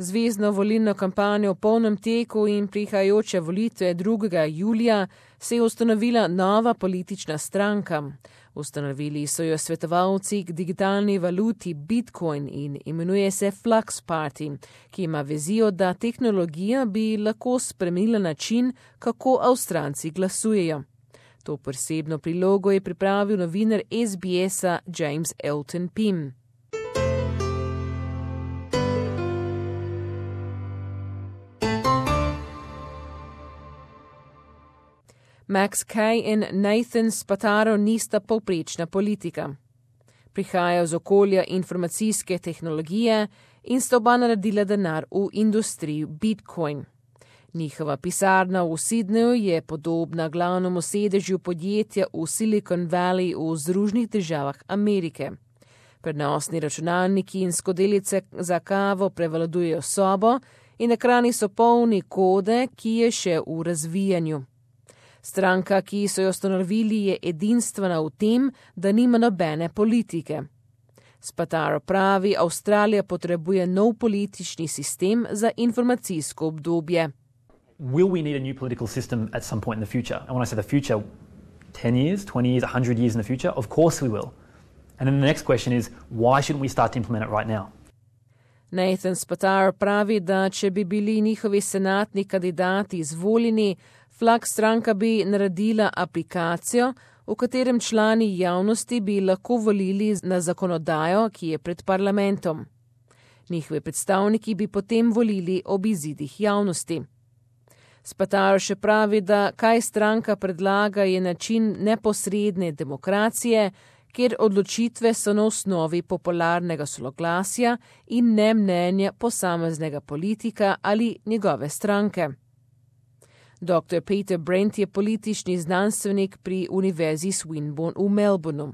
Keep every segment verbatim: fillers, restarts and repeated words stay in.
Zvezno volilno kampanjo v polnem teku in prihajajoče volitve drugega julija se je ustanovila nova politična stranka. Ustanovili so jo svetovalci k digitalni valuti Bitcoin in imenuje se Flux Party, ki ima vizijo, da tehnologija bi lahko spremenila način, kako Avstralci glasujejo. To posebno prilogo je pripravil novinar S B S-a James Elton Pym. Max Kay in Nathan Spataro nista povprečna politika. Prihajajo z okolja informacijske tehnologije in sta oba naredila denar v industriji Bitcoin. Njihova pisarna v Sydneyju je podobna glavnemu sedežu podjetja v Silicon Valley v Združenih državah Amerike. Prenosni računalniki in skodelice za kavo prevladujejo sobo in ekrani so polni kode, ki je še v razvijanju. Stranka, ki so jo ustanovili, je edinstvena v tem, da nima nobene politike. Spataro pravi, Avstralija potrebuje nov politični sistem za informacijsko obdobje. Will we need a new political system at some point in the future? And when I say the future, ten years, twenty years, one hundred years in the future? Of course we will. And then the next question is, why shouldn't we start to implement it right now? Nathan Spataro pravi, da če bi bili njihovi senatni kandidati izvoljeni, Flux stranka bi naredila aplikacijo, v katerem člani javnosti bi lahko volili na zakonodajo, ki je pred parlamentom. Njihovi predstavniki bi potem volili ob izidih javnosti. Spataro še pravi, da kaj stranka predlaga je način neposredne demokracije, kjer odločitve so na osnovi popularnega soglasja in ne mnenja posameznega politika ali njegove stranke. doktor Peter Brent je politični znanstvenik pri Univerzi Swinburne v Melbourneu.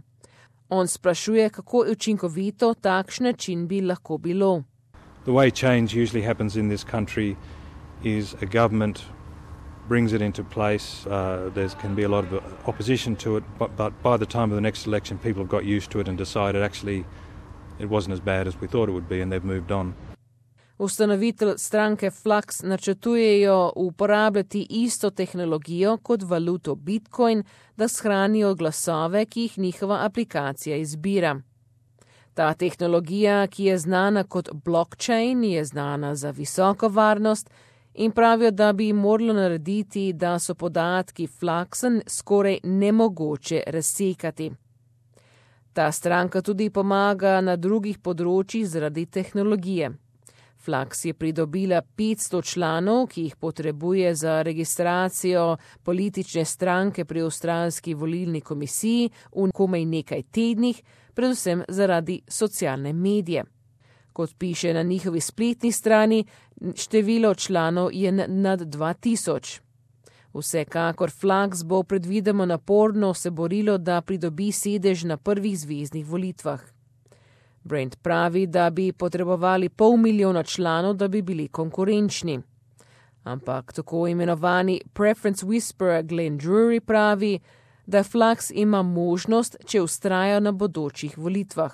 On sprašuje, kako učinkovito takšen način bi lahko bilo. The way change usually happens in this country is a government brings it into place. Uh, there can be a lot of opposition to it, but, but by the time of the next election, people have got used to it and decided actually it wasn't as bad as we thought it would be and they've moved on. Ustanovitelj stranke Flux načrtujejo uporabljati isto tehnologijo kot valuto Bitcoin, da shranijo glasove, ki jih njihova aplikacija izbira. Ta tehnologija, ki je znana kot blockchain, je znana za visoko varnost in pravijo, da bi moralo narediti, da so podatki Fluxa skoraj nemogoče razsekati. Ta stranka tudi pomaga na drugih področjih zaradi tehnologije. Flux je pridobila petsto članov, ki jih potrebuje za registracijo politične stranke pri Avstralski volilni komisiji v komaj nekaj tednih, predvsem zaradi socialne medije. Kot piše na njihovi spletni strani, število članov je nad dva tisoč. Vsekakor Flux bo predvidoma naporno se borilo, da pridobi sedež na prvih zveznih volitvah. Brent pravi, da bi potrebovali pol milijona članov, da bi bili konkurenčni. Ampak tako imenovani Preference Whisperer Glenn Drury pravi, da Flux ima možnost, če vztraja na bodočih volitvah.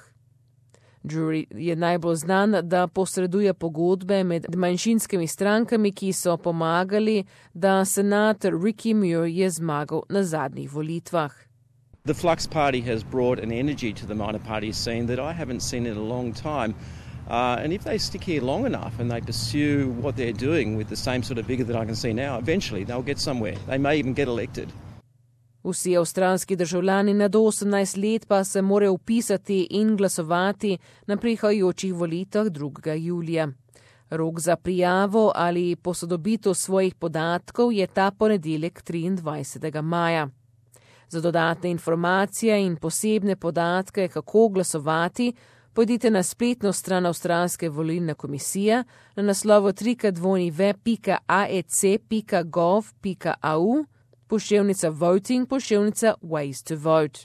Drury je najbolj znan, da posreduje pogodbe med manjšinskimi strankami, ki so pomagali, da senator Ricky Muir je zmagal na zadnjih volitvah. The Flux Party has brought an energy to the minor party scene that I haven't seen in a long time. Uh, and if they stick here long enough and they pursue what they're doing with the same sort of vigour that I can see now, eventually they'll get somewhere. They may even get elected. Vsi avstralski državljani nad osemnajst let pa se morajo vpisati in glasovati na prihajajočih volitvah drugega julija. Rok za prijavo ali posodobitev svojih podatkov je ta ponedeljek triindvajsetega maja. Za dodatne informacije in posebne podatke, kako glasovati, pojdite na spletno stran Avstralske volilne komisije na naslovu trikrat dvojni ve pika a e ce pika gov pika a u, poševnica voting, poševnica ways to vote.